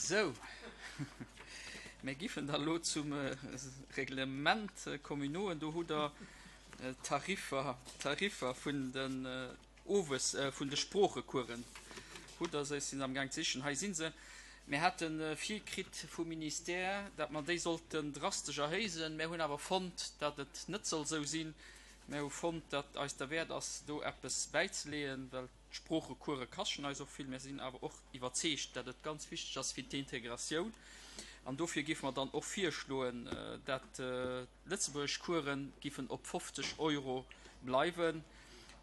Sou, mir giffen da elo zum Reglement communaux. Do hutt Der d'Tariffer, d'Tariffer vun den Owes, vun de Sproochecoursen. Hutt Der se? Ech sinn se amgaang ze sichen. Hei si se. Mir hate virkritt vum Ministère, datt mer déi sollten drastesch erhéisen. Mir hunn awer fonnt, datt et net soll esou sinn. Mir hu fonnt, datt eis derwäert ass, do eppes bäizeleeën, well d'Sproochecourse kaschten eis och vill. Mir sinn awer och iwwerzeegt, datt et ganz wichteg ass fir d'Integratioun. An dofir géife mer dann och virschloen, datt d'Lëtzebuergeschcourse giffen op 50 Euro bleiwen,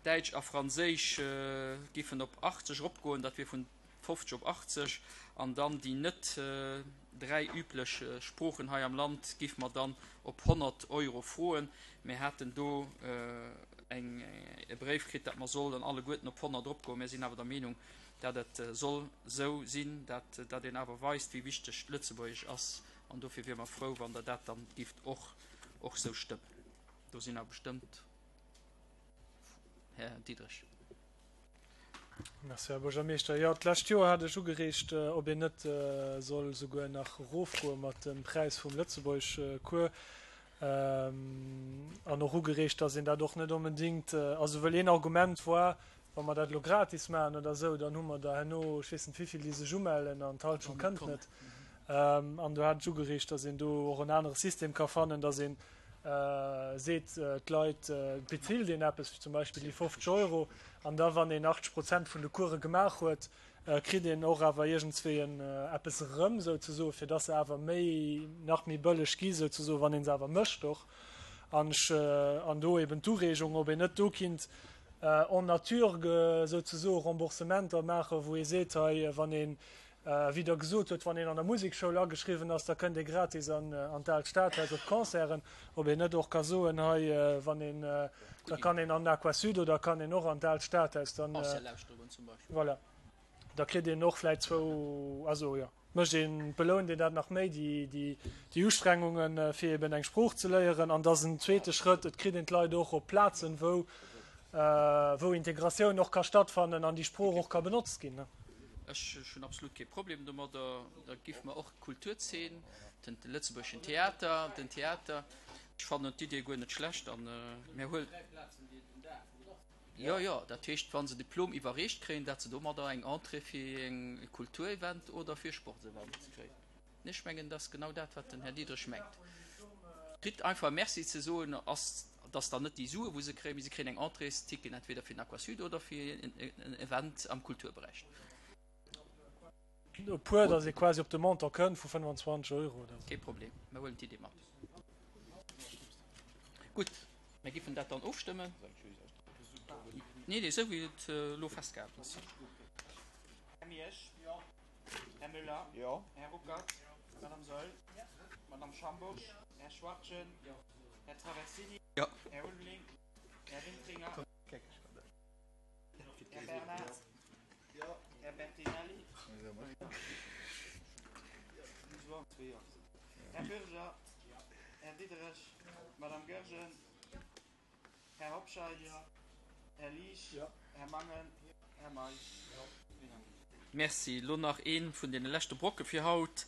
Däitsch a Franséisch giffen op 80 eropgoen, dat wier vun 50 op 80, an dann déi net 3 üblech Sproochen hei am Land géife mer dann op 100 Euro froen. Mir haten do eng e Bréif kritt, dat mer sollen alleguerten op 100 eropgoen. Mir sinn awer der Meenung, dat et soll esou sinn, dat dat een awer weist, wéi wichteg d'Lëtzebuergesch ass, an dofir wiere mer frou, wann Der dat dann gifft och och esou stëmmen. Do sinn awer bestëmmt, Här Diderich. Merci, Här Buergermeeschter. Jo, d'lescht Joer hat ech ugereegt, ob een net soll souguer nach erofgoe mat dem Präis vum Lëtzebuergeschcours. An och ugereegt, datt een dat och net onbedéngt, also wëll een Argument war, wa mer dat elo gratis maachen oder esou, dann hu mer der herno, ech weess net wéivill, déi sech umellen an d'Halschent kënnt net. An do hat ech ugereegt, datt een do och en anere System ka fannen, datt een seet, d'Leit, et bezilt een eppes, zum Beispill déi 50 Euro, an da wann een 80 Prozent vun de Course gemaach huet, kritt een och awer iergendswéi en eppes erëm souzesoen, fir dass se awer méi, nach méi bëlleg gi souzesoen, wann ee se awer mécht och. An ech, an do eben d'Ureegung, ob een net do kinnt en nature souzesoe Remboursementer maachen, wou ee seet, hei wann een, wéi Der gesot hutt, wann een an der Musekschoul ageschriwwen ass, da kënnt ee gratis an d'Aalt Stadhaus op d'Concerten, ob een net och ka soen, hei wann een, da kann een an den Aquasud oder kann een och an d'Aalt Stadhaus, dann, voilà, da kritt een och vläicht zwou, also jo, mécht een, belount een dat nach méi, déi, déi Ustrengungen, fir eben eng Sprooch ze léieren. An da ass en zweete Schrëtt, et kritt een d'Leit och op Plazen, wou, wou Integratioun och ka stattfannen an déi Sprooch och ka benotzt ginn. Ech hunn absolut kee Problem domadder. Da giff mer och d'Kulturzeen, den lëtzebuergeschen Theater, den Theater. Ech fannen d'Idee guer net schlecht an mir huel. Jo, jo, dat heescht, wa se Diplom iwwerreecht kréien, dat se domadder eng Entrée fir e Kulturevent oder fir e Sportsevent kréien. Ech mengen, dat ass genau dat, wat den Här Diderich mengt. Kritt einfach Merci ze soen, ass, dass dann net déi Sue wou se kréien, mee se kréien eng Entréesticket entweder fir den Aquasud oder fir en Event am Kulturberäich. E puer, dass ee quasi op de Montant kënnt vu 25 Euro oder esou. Kee Problem, mir huelen d'Idee mat. Gutt, mir giffen dat dann ofstëmmen. Nee, nee, esou wéi et elo festgehalen ass. Här Miersch. Här Müller. Jo. Här Ruckert. Madame Saeul. Madame Schambourg. Här Schwachtgen. Här Traversini. Jo. Här Ulveling. Här Wintringer. Här Bernard. Här Bertinelli. Här Bürger. Här Diderich. Madame Goergen. Här Hobscheit. Här Liesch. Här Mangen. Här Meisch. Merci. Elo nach ee vun deene leschte Brocke fir haut,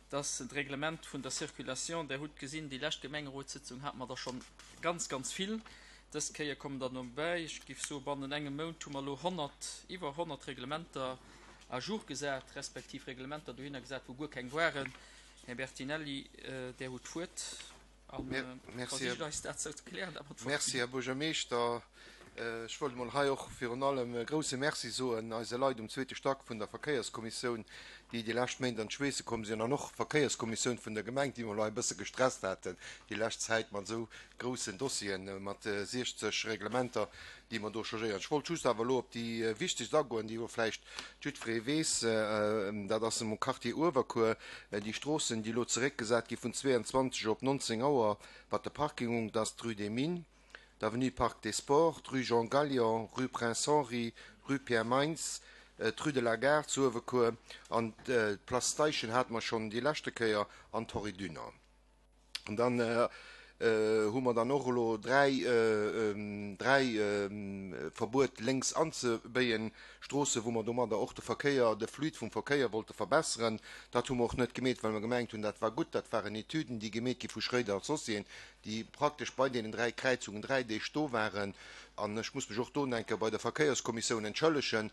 dat ass d'Reglement vun der Circulation. Der hutt gesinn, déi lescht Gemengerotssëtzung hate mer der schonn ganz, ganz vill. Dës Kéier kommen der dobäi. Ech géif soen, bannent engem Mount hu mer elo 100, iwwer 100 Reglementer à jour gesat, respektiv Reglementer dohinner gesat, wou guer keng waren. Här Bertinelli, Der hutt d'Wuert. Merci, Här Buergermeeschter. Ech wollt emol hei och virun allem e grouse Merci soen eise Leit um zweete Stack vun der Verkéierskommissioun, déi déi lescht Méint an d'Schweesse komm sinn, an och d'Verkéierskommissioun vun der Gemeng, déi mer elo hei e bësse gestresst haten déi lescht Zäit mat esou groussen Dossieren, mat 60 Reglementer, déi mer do changéieren. Ech wollt just awer elo op déi wichtegst agoen, déi wou vläicht jiddweree weess, dat ass am Quartier Uewerkuer, déi Stroossen, déi elo zeréckgesat gi vun 22 op 19 Auer, wat de Parking ungt, ass d'Rue des Mines, d'Avenue Parc des Sports, d'Rue Jean Gallion, Rue Prince Henri, Rue Pierre Meintz, d'Rue de la Gare zu Uewerkuer an d'Place Steichen hate mer schonn déi leschte Kéier an d'Henri Dunant. An dann. hu mer dann och elo 3, 3 Verbuet lénks anzebéien, Stroosse wou mer domadder och de Verkéier, de Fluide vum Verkéier wollte verbesseren. Dat hu mer och net gemeet, well mer gemengt hunn, dat war gutt. Dat waren Etüden, déi gemeet gi vu Schréider Associéen, déi praktesch bei deenen 3 Kräizungen 3 Deeg do waren. An ech muss mech och do enke bei der Verkéierskommissioun entschëllegen,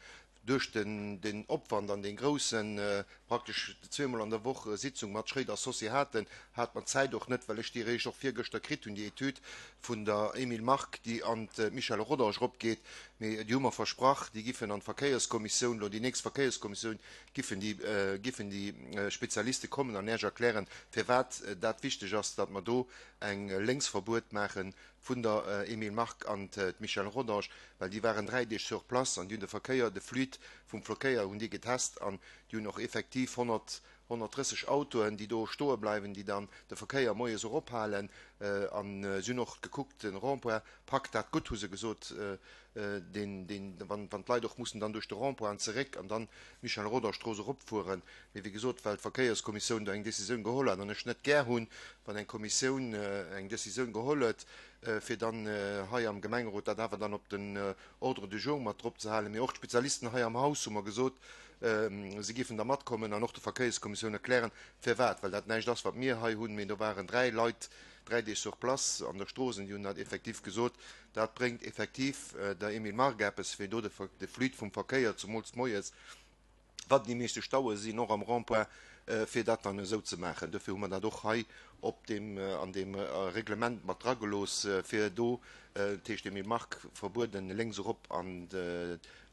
Duerch den Opwand an dee groussen, praktesch zweemol an der Woch, Sitzung mat Schréider Associés haten, hat mer d'Zäit och net, well ech déi eréischt och virgëschter kritt hunn, déi Etüd vun der Emile Mark, déi an d'Michèle Rodange eropgeet. Mee déi hu mer versprach, déi giffen an d'Verkéierskommissioun, elo déi nächst Verkéierskommissioun, giffen déi, giffen déi Spezialiste kommen an Iech erklären, firwat dat wichteg ass, datt mer do eng Lénksverbuet maache vun der Emile Mark an d'Michèle Rodange, well déi waren 3 Deeg sur place an déi hunn de Verkéier, de Fluide vum Verkéier hunn déi getest an déi hunn och effektiv 100, 130 Autoen, déi do stoe bleiwen, déi dann de Verkéier moies och ophalen. An si hunn och gekuckt, de Rond-point packt dat gutt, hu se gesot, deen, deen, wann, wann d'Leit och mussen dann duerch de Rond-point an zeréck an dann d'Michèle Rodange-Strooss eropfueren. Mee wéi gesot, well d'Verkéierskommissioun do eng Décisioun geholl hat an ech net gär hunn, wann eng Kommissioun eng Décisioun geholl huet, fir dann hei am Gemengerot dat awer dann op den Ordre du jour mat drop ze halen. Mee och d'Spezialisten hei am Haus hu mer gesot, si géifen da matkommen an och der Verkéierskommissioun erklären, firwat, well dat näischt ass, wat mir hei hunn, mee do waren 3 Leit 3 Deeg sur place an der Strooss an déi hunn dat effektiv gesot. Dat bréngt effektiv der Emile Mark eppes, fir do de Fluide vum Verkéier, zemools moies, wat déi meeschte Staue sinn, och am Rond-point, fir dat dann esou ze maachen. Dofir hu mer dat och hei op deem, an deem Reglement mat dragelooss, fir do, dat heescht Emile Mark, verbueden, lénks erop an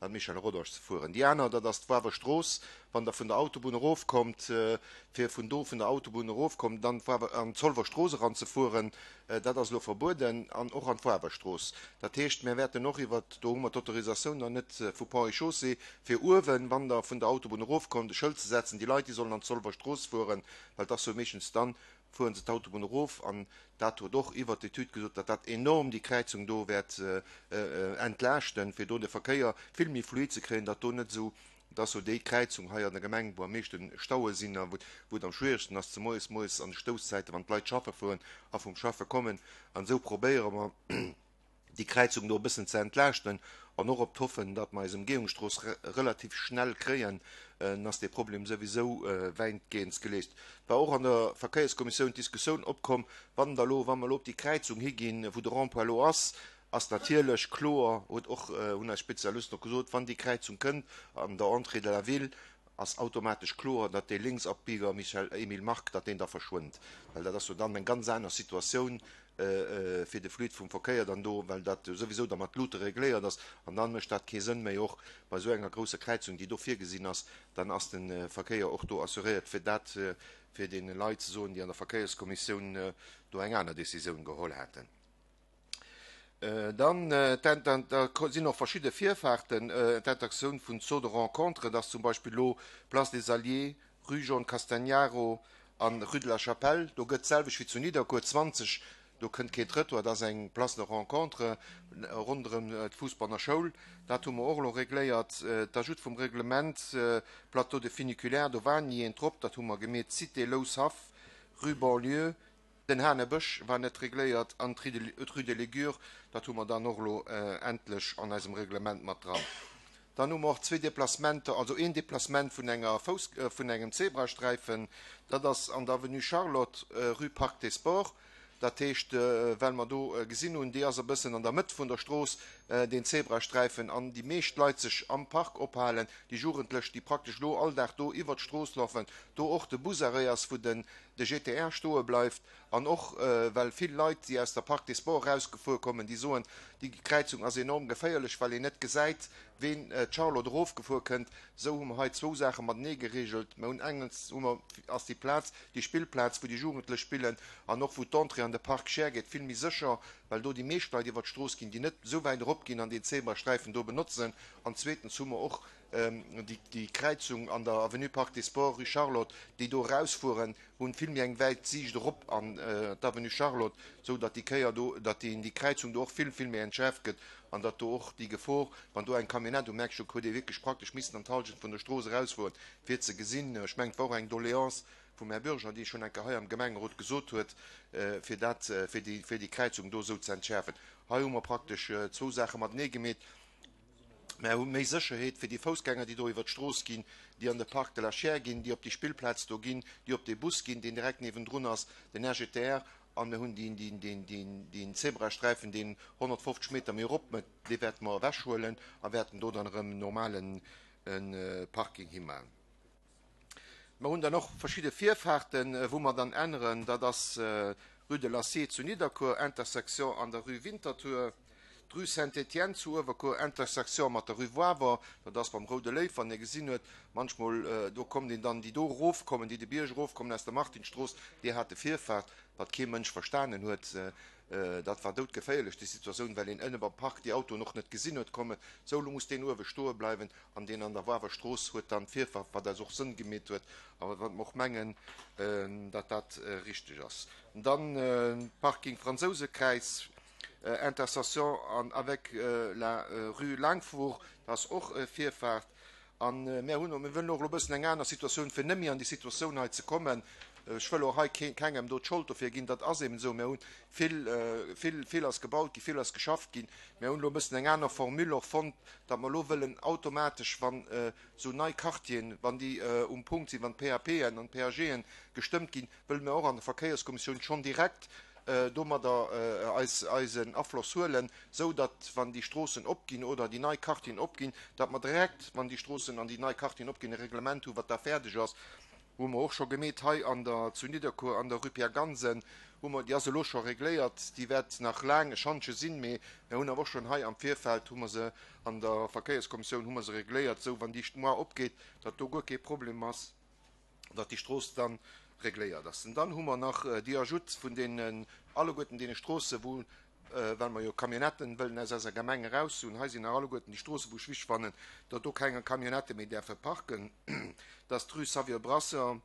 d'Michel Rodange ze fueren. Déi aner, dat ass d'Wawer Strooss, wann Der vun der Autobunn erofkommt, fir vun do vun der Autobunn erofkommt, dann an d'Zolwer Strooss eranzefueren. Dat ass elo verbueden, an och an d'Wawerstrooss. Dat heescht, mir wäerten och iwwert, do hu mer d'Autorisatioun nach net vu Ponts et Chaussées, fir uewen, wann Der vun der Autobunn erofkommt, e Schëld ze setzen, déi Leit, déi sollen an d'Zolwer Strooss fueren, well et ass jo meeschtens dann, fuere se d'Autobunn erof. An dat huet och iwwert d'Etüd gesot, datt dat enorm déi Kräizung do wäert entlaaschten, fir do de Verkéier vill méi fluid ze kréien, datt do net esou Et ass jo déi Kräizung hei an der Gemeng, wou am meeschte Staue sinn a wou et am schwieregsten ass, zemools moies an de Stousszäiten, wann d'Leit schaffe fueren a vum Schaffe kommen. An esou probéiere mer, déi Kräizung do e bëssen ze entlaaschten an och op d'Hoffen, datt mer eis Emgehungsstrooss relativ schnell kréien, dann ass dee Problem souwisou wäitgehend geléist. Et war och an der Verkéierskommissioun d'Diskussioun opkomm, wann da elo, wa mer elo op déi Kräizung higinn, wou de Rond-point elo ass, Ass natierlech kloer, huet och, hunn eis Spezialisten och gesot, wann déi Kräizung kënnt an der Entrée de la ville, ass automatesch kloer, datt dee Lénksabbieger Michel Emile Mark, datt deen da verschwënnt. Well dat ass jo dann eng ganz aner Situatioun fir de Fluide vum Verkéier dann do, well dat jo souwisou da mat Luute regléiert ass. An dann mécht dat kee Sënn méi, och bei esou enger grousser Kräizung, déi do virgesinn ass, dann ass de Verkéier och do assuréiert. Fir dat fir deene Leit ze soen, déi an der Verkéierskommissioun do eng aner Décisioun geholl haten. Dann da sinn och verschidde Virfahrten, d'Interaktioun vun Saut de rencontre, dass zum Beispill elo Place des Alliés, Rue John Castagnaro an Rue de la Chapelle, do gëtt d'selwecht wéi zu Nidderkuer 20, do kënnt keen Trëttoir, dat ass eng Place de rencontre ronderëm d'Fousbanner Schoul. Dat hu mer och elo regléiert. D'Ajoute vum Reglement Plateau de funiculaire, do war ni eent drop, dat hu mer gemeet, Cité Loushaff, Rue Banlieue, Den Hanebësch war net regléiert an d'Rue de l'Aigure, dat hu mer dann och elo endlech an eisem Reglement mat dran. Dann hu mer och zwee Déplacementer, also een Déplacement vun enger Fouss, vun engem Zebrasträifen, dat ass an der Avenue Charlotte, Rue Parc des Sports. Dat heescht, well mer do gesinn hunn, déi ass e bëssen an der Mëtt vun der Strooss, deen Zebrasträifen, an déi meescht Leit sech am Park ophalen, déi Jugendlech, déi praktesch elo all Dag do iwwert d'Strooss lafen, do och de Busarrêt ass, wou den de GTR stoe bleift an och well vill Leit, déi aus der Parc des Sports erausgefuer kommen, déi soen, déi Kräizung ass enorm geféierlech, well een net gesäit, ween d'Charlotte erofgefuer kënnt. Esou hu mer hei zwou Saache matenee geregelt. Mer hunn engens hu mer, ass déi Plaz, déi Spillplaz, wou déi Jugendlech spillen an och wou d'Entrée an de Parc Scheer geet, vill méi sécher, well do déi meescht Leit iwwer d'Strooss ginn, déi net esou wäit eropginn an deen Zebrasträifen do benotzen. An zweetens hu mer och déi Kräizung an der Avenue Parc des Sports, Rue Charlotte, déi do erausfueren, hunn vill méi eng wäit Siicht erop an d'Avenue Charlotte, esou datt déi Kéier do, datt déi Kräizung do och vill, vill méi entschärft gëtt. An datt do och déi Gefor, wann do eng Camionnette um Eck stoung, huet ee wierklech praktesch missen an d'Hallschent vun der Strooss erausfueren, fir ze gesinn. Ech mengen, et war och eng Doléance vum Här Bürger, déi schonn eng Kéier hei am Gemengerot gesot huet, fir dat, fir déi, fir déi Kräizung do esou ze entschäerfen. Hei hu mer praktesch zwou Saache matenee gemeet. Mer hu méi Sécherheet fir déi Foussgänger, déi do iwwert d'Strooss ginn, déi an de Parc de la Chiers ginn, déi op déi Spillplaz do ginn, déi op dee Bus ginn, deen direkt niewendrun ass, den RGTR. An mir hunn deen Zebrasträifen, deen 150 Meter méi erop mëtt, dee wäerte mer ewechhuelen a wäerten do dann erëm en normale Parking himaachen. Mer hunn dann och verschidde Virfahrten, wou mer dann änneren. Dat ass Rue de l'Acier zu Nidderkuer, Intersection an der Rue Winterthur, d'Rue Saint-Étienne zu Uewerkuer, Intersection mat der Rue Wawer, dat ass beim Roude Léiw, wann ee gesinn huet, manchmol do kommt een dann, déi do erofkommen, déi de Bierg erofkommen aus der Martinsstrooss, déi hate Virfahrt, wat kee Mënsch verstanen huet. Dat war doudgeféierlech, déi Situatioun, well een ënne beim Park déi Autoen och net gesinn huet kommen. Sou, elo muss deen uewe stoe bleiwen an deen an der Wawer Strooss huet dann d'Virfahrt, wat eis och Sënn gemeet huet a wat mer och mengen, datt dat richteg ass. Dann Parking Fransousekräiz, Intersection an avec la rue Langfuhr, dat ass och Virfahrt. A mär hunn, mir wëllen och elo e bëssen eng aner Situatioun, fir net méi an déi Situatioun hei ze kommen. Ech wëll och hei kengem do d'Schold dofir ginn, dat ass eben esou. Mir hu vill, vill, vill ass gebaut ginn, vill ass geschafft ginn. Mir hunn elo e bëssen eng aner Formule och fonnt, datt mer elo wëllen automatesch, wann esou nei Quartieren, wann déi um Punkt sinn, wann d'PAPen an d'PAGen gestëmmt ginn, wëlle mir och an der Verkéierskommissioun schonn direkt domadder eis eisen Afloss huelen, sou datt, wann déi Stroossen opginn oder déi nei Quartieren opginn, datt mer direkt, wann déi Stroossen an déi nei Quartieren opginn, e Reglement hu wat da fäerdeg ass. Hu mer och scho gemeet hei an der, zu Nidderkuer an der Rue Pierre Gansen hu mer, déi ass elo scho regléiert, déi wäert nach laang e Schantje sinn, mee mer hunn awer och schonn hei am Virfeld hu mer se an der Verkéierskommissioun hu mer se regléiert, sou wann déi moar opgeet, datt do guer kee Problem ass. datt déi Strooss dann regléiert ass. An dann hu mer nach déi Ajoute vun deenen alleguerten deene Stroosse wou, well mer jo Camionnetten wëllen aus eiser Gemeng eraus hunn, hei sinn nach alleguerten déi Stroosse wou ech wichteg fannen, datt do keng Camionnette méi däerfe parken, dat ass d'Rue Xavier Brasseur,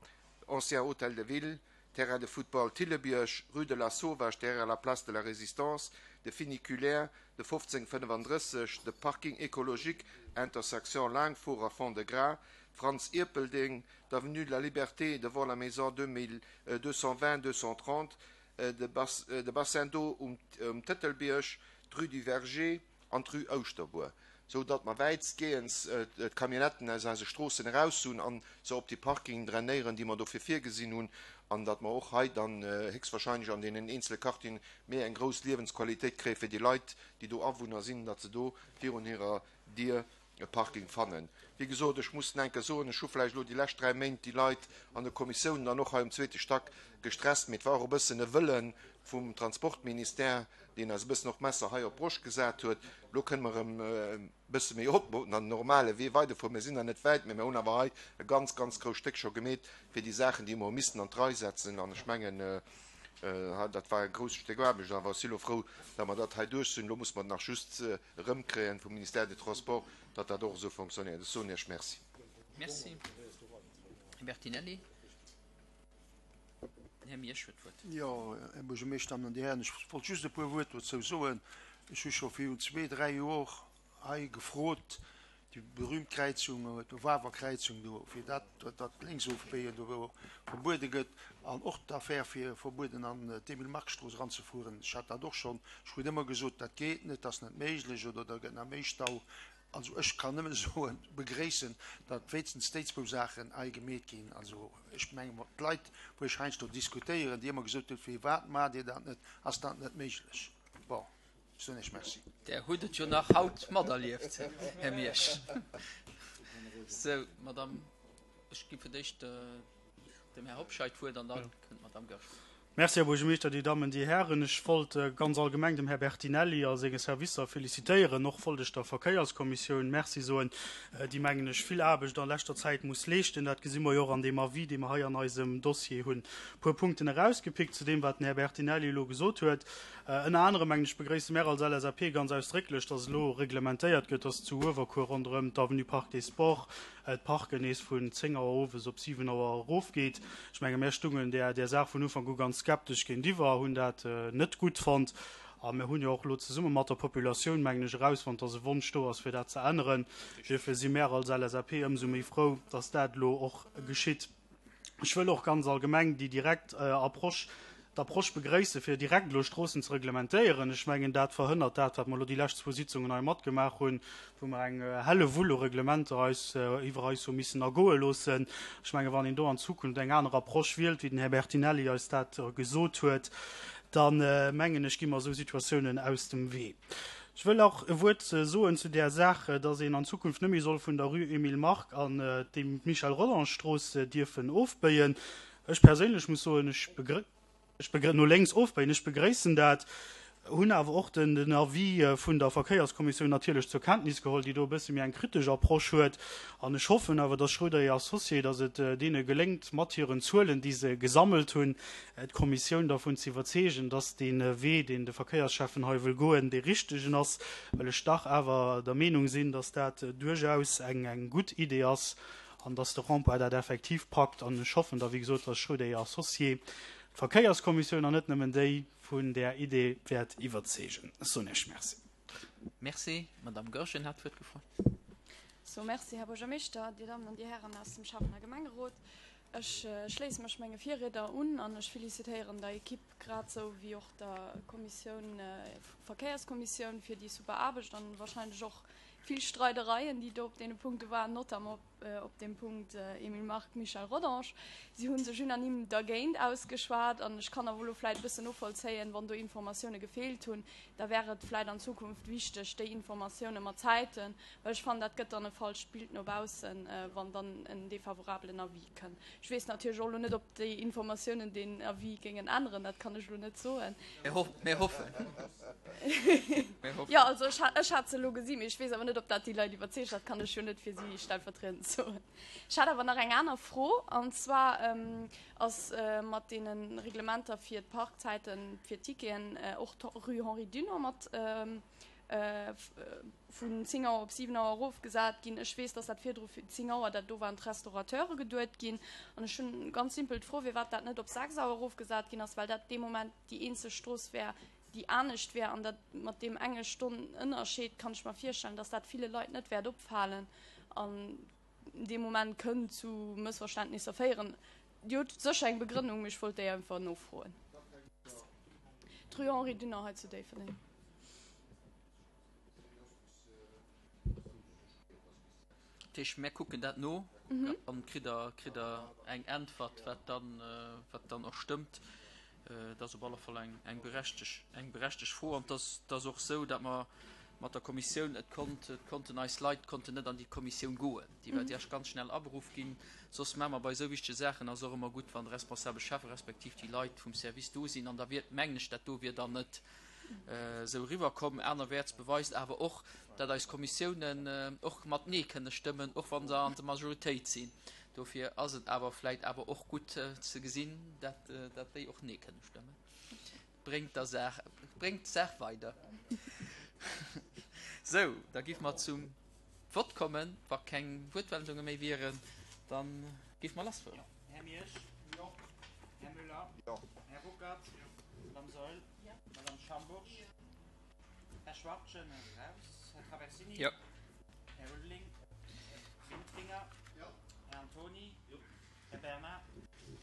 ancien Hôtel de Ville, Terrain de football Thillebierg, Rue de la Sauvage derrière la Place de la Résistance, de Funiculaire, de 1535, de Parking écologique, intersection Laangfuhr a Fond-de-Gras, Franz Ierpeldeng, d'Avenue de la Liberté devant la maison 2220 230, de Bassin d'eau um Tëtelbierg, d'Rue du Verger an d'Rue Ouschterbuer, sou datt mer wäitstgehends d'Camionnetten aus eise Stroossen eraus hunn an se op déi Parkingen drainéieren, déi mer dofir virgesinn hunn, an datt mer och hei dann héchstwahrscheinlech an deenen eenzele Quartieren méi eng grouss Liewensqualitéit kréie fir déi Leit, déi do Awunner sinn, datt se do virun hirer Dier e Parking fannen. Wéi gesot, ech muss enke soen, ech hu vläicht elo déi lescht 3 Méint déi Leit an de Kommissiounen an och hei um zweete Stack gestresst, mee et war och e bëssen e Wëlle vum Transportministère, deen eis e bëssen och d'Messer hei op d'Broscht gesat huet. Elo kënne mer erëm e bësse méi opmoten an den normale Wee weiderfueren. Mir sinn nach net wäit, mee mir hunn awer hei e ganz, ganz grousst Stéck scho gemeet fir déi Saachen, déi mer hu missten an d'Rei setzen. An ech mengen, dat war e grousst Stéck Aarbecht, awer ech si elo frou, datt mer dat hei duerch sinn. Elo muss mer et nach just erëmkréien vum Ministère des Transports, datt dat och esou fonctionnéiert. Ech soen Iech Merci. Merci. Här Bertinelli. Den Här Miersch huet d'Wuert. Jo, Här Buergermeeschter, Dammen an Dir Hären, ech wollt just e puer Wuert dozou soen. Ech hu scho virun zwee, dräi Jor hei gefrot, déi berühmt Kräizung, d'Wawer Kräizung do, fir dat, datt d'Lénksofbéien do verbuede gëtt an och d'Affär fir verbueden an d'Emile-Mark-Strooss eranzefueren. Ech hat dat och schonn, ech krut ëmmer gesot, dat geet net, dat ass net méiglech oder da gëtt nach méi Stau. Also ech kann nëmmen soen, begréissen, datt wéinstens déi zwou Saachen hei gemeet ginn. Also ech menge mat d'Leit, wou ech heiansdo diskutéieren, déi ëmmer gesot hunn, firwat maacht Dir dat net, ass dat net méiglech. Bon. Ech soen Iech Merci. Der hutt et jo nach haut materlieft, Här Miersch. Sou, Madame, ech gi fir d'éischt dem Här Hobscheit d'Wuert an da kënnt d'Madame Goergen. Merci, Här Buergermeeschter, Dir Dammen, Dir Hären. Ech wollt ganz allgemeng dem Här Bertinelli a senge Servicer felicitéieren. Och wollt ech der Verkéierskommissioun Merci soen, déi, mengen ech, vill Aarbecht a leschter Zäit muss leeschten. Dat gesi mer jo och an deem Avis, dee mer hei an eisem Dossier hunn. E puer Punkten erausgepickt zu deem, wat den Här Bertinelli elo gesot huet. Ënner anerem, mengen ech, begréisse mär als LSAP ganz ausdrécklech, dass elo reglementéiert gëtt, dass zu Uewerkuer ronderëm d'Avenue Parc des Sports d'Parken nees vun 10 Auer owes op 7 Auer erofgeet. Ech menge mär stungen där där Saach vun Ufank u ganz skeptesch géintiwwer, hunn dat net gutt fonnt. A mir hunn jo och elo zesumme mat der Populatioun, mengen ech, erausfonnt, dass e Wonsch do ass, fir dat ze änneren. Duerfir si mär als LSAP ëmsou méi frou, dass dat elo och geschitt. Ech wëll och ganz allgemeng déi direkt Approche, d'Approche begréissen, fir direkt elo Stroossen ze reglementéieren. Ech mengen, dat verhënnert dat, wat mer elo déi lescht zwou Sitzungen hei matgemaach hunn, wou mer eng Hellewull u Reglementer eis iwwer eis hu missen ergoe loossen. Ech mengen, wann een do an Zukunft eng aner Approche wielt, wéi den Här Bertinelli eis dat gesot huet, da mengen ech, gi mer esou Situatiounen aus dem Wee. Ech wëll och e Wuert soen zu där Saach, dass een an Zukunft net méi soll vun der Rue Emile Mark an d'Michel Rodange-Strooss dierfen ofbéien. Ech perséinlech muss soen, ech ech no lénks ofbéien, ech begréissen dat, hunn awer och den Avis vun der Verkéierskommissioun natierlech zur Kenntnis geholl, déi do e bësse méi eng kritesch Approche huet. An ech hoffen awer, dass Schroeder et Associés, dass et deene geléngt, mat hiren Zuelen, déi se gesammelt hunn, d'Kommissioun dervun ze iwwerzeegen, dass dee Wee, deen de Verkéiersschäffen hei wëll goen, dee richtegen ass, well ech dach awer der Meenung sinn, dass dat duerchaus eng gutt Idee ass an dass de Rond-point dat effektiv packt. An ech hoffen da, wéi gesot, dass Schroeder et Associés d'Verkéierskommissioun, an net nëmmen déi, vun där Idee wäert iwwerzeegen. Ech soen Iech Merci. Merci. D'Madame Goergen hat d'Wuert gefrot. So, merci, Här Buergermeeschter, Dir Dammen an Dir Hären aus dem Schäffen a Gemengerot. Ech schléisse mech menge Virrieder un an ech felicitéieren der Ekipp grad sou wéi och der Kommissioun, Verkéierskommissioun fir déi super Aarbecht an wahrscheinlech och vill Streidereien, déi do op deene Punkte waren, notamment op deem Punkt Emile Mark, Michel Rodange. Si hu sech unanime dergéint ausgeschwat an ech kann awer elo vläit e bëssen novollzéien, wann do Informatioune gefeelt hunn, da wär et vläit an Zukunft wichteg, déi Informatioune mat Zäiten, well ech fannen, dat gëtt dann e falscht Bild no baussen, wann dann en defavorabelen Avis kënn. Ech weess natierlech och elo net, ob déi Informatiounen deen Avis géingen änneren, dat kann ech elo net soen. Mir hoffen. Jo, also ech ech hat se elo gesinn, mee ech weess awer net, ob dat déi Leit iwwerzeegt. Dat kann ech jo net fir si stellvertriedend soen. Ech hat awer nach eng aner Fro, an zwar ass mat deene Reglementer fir d'Parkzäiten, fir d'Ticketen och d'Rue Henri Dunant mat vun 10 Auer op 7 Auer erofgesat ginn. Ech weess, dass dat virdru fir 10 Auer, dat do waren d'Restaurateure geduet ginn. An ech hunn ganz simpel d'Fro, firwat dat net op 6 Auer erofgesat ginn ass, well dat dee Moment déi eenzeg Strooss wär, déi anescht wär. An dat mat deem enge Stonn Ënnerscheed kann ech mer virstellen, dass dat ville Leit net wäert opfalen an dee Moment kënnt zu Mëssverständnisser féieren. Dir hutt sécher eng Begrënnung, mee ech wollt déi einfach nofroen. D'Rue Henri Dunant hei zu Déifferdeng. Dat heescht, mär kucken dat no an kritt Der, kritt Der eng Äntwert, wat dann, wat dann och stëmmt. Et ass op alle Fall eng, eng berechteg, eng berechteg Fro. An et ass, et ass och esou, datt mer mat der Kommissioun, et konnt, et konnten eis Leit konnten net an déi Kommissioun goen. Déi war déi ass ganz schnell aberuff ginn. Soss maache mer bei esou wichtege Saachen ass och ëmmer gutt, wann de responsabel Schäffe respektiv déi Leit vum Service do sinn. An da wier, mengen ech, dat do wier dann net esou eriwwerkomm. Anerwäerts beweist awer och, datt eis Kommissiounen och mat Nee kënne stëmmen, och wa se an der Majoritéit sinn. Dofir ass et awer vläicht awer och gutt ze gesinn, datt déi och Nee kënne stëmmen. Bréngt der Saach, bréngt d'Saach weider. Sou, da géife mer zum Vott kommen. Wa keng Wuertmeldunge méi wieren, da géife mer lassfueren. Här Miersch. Jo. Här Müller. Jo. Här Ruckert. Jo. Madame Saeul. Jo. Madame Schambourg. Jo. Här Schwachtgen ass eraus. Här Traversini. Jo. Här Ulveling. Här Wintringer. Jo. Här Antoni. Jo. Här Bernard.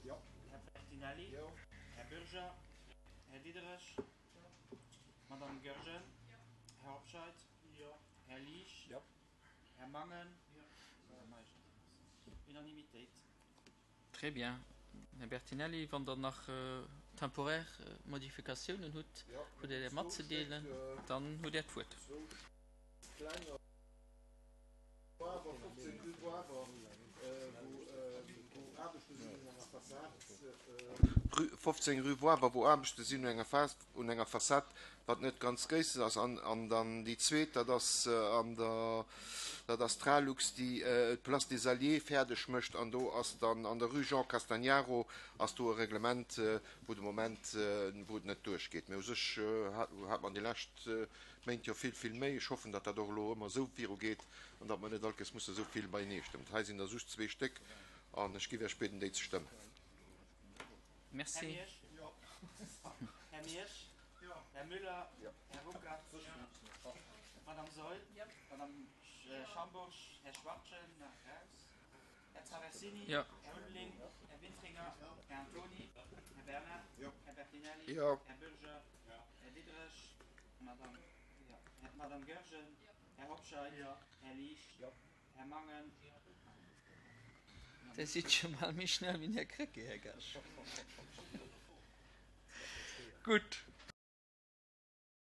Jo. Här Bertinelli. Jo. Här Bürger. Här Diderich. Jo. Madame Goergen. Jo. Här Hobscheit. Jo. Här Liesch. Jo. Här Mangen. Jo. Madame Meisch. Unanimitéit. Très bien. Här Bertinelli, wann Der nach temporär Modifikatiounen hutt, hutt Der där matzedeelen, dann hutt Der d'Wuert. Rue 15 rue Woawer, wou Aarbechte sinn un enger Fassad, wat net ganz gréisser ass. An dann déi zweet, dat ass an der, dat ass d'Ralux, déi d'Place des Alliés fäerdeg mécht. An do ass dann an der Rue Jean Castagnaro ass do e Reglement, wou de Moment, wou et net duerchgeet. Mee u sech hat mer an déi lescht Méint jo vill, vill méi. Ech hoffen, datt dat och elo ëmmer esou virugeet an datt mer net all Kéiers musse esou vill beienee stëmmen. Hei sinn der just zwee Stéck an ech géif Iech bieden, déi ze stëmmen. Merci. Här Miersch. Här Miersch. Här Müller. Här Ruckert. Madame Saeul. Madame Schambourg. Här Schwachtgen, nach raus. Här Traversini. Här Ulveling. Här Wintringer. Här Antoni. Här Bernard. Här Bertinelli. Här Bürger. Här Diderich. Madame, Madame Goergen. Här Hobscheit. Här Liesch. Här Mangen. Dir sidd scho bal méi schnell wéi den Här Krecké, Här Gaasch. Gutt.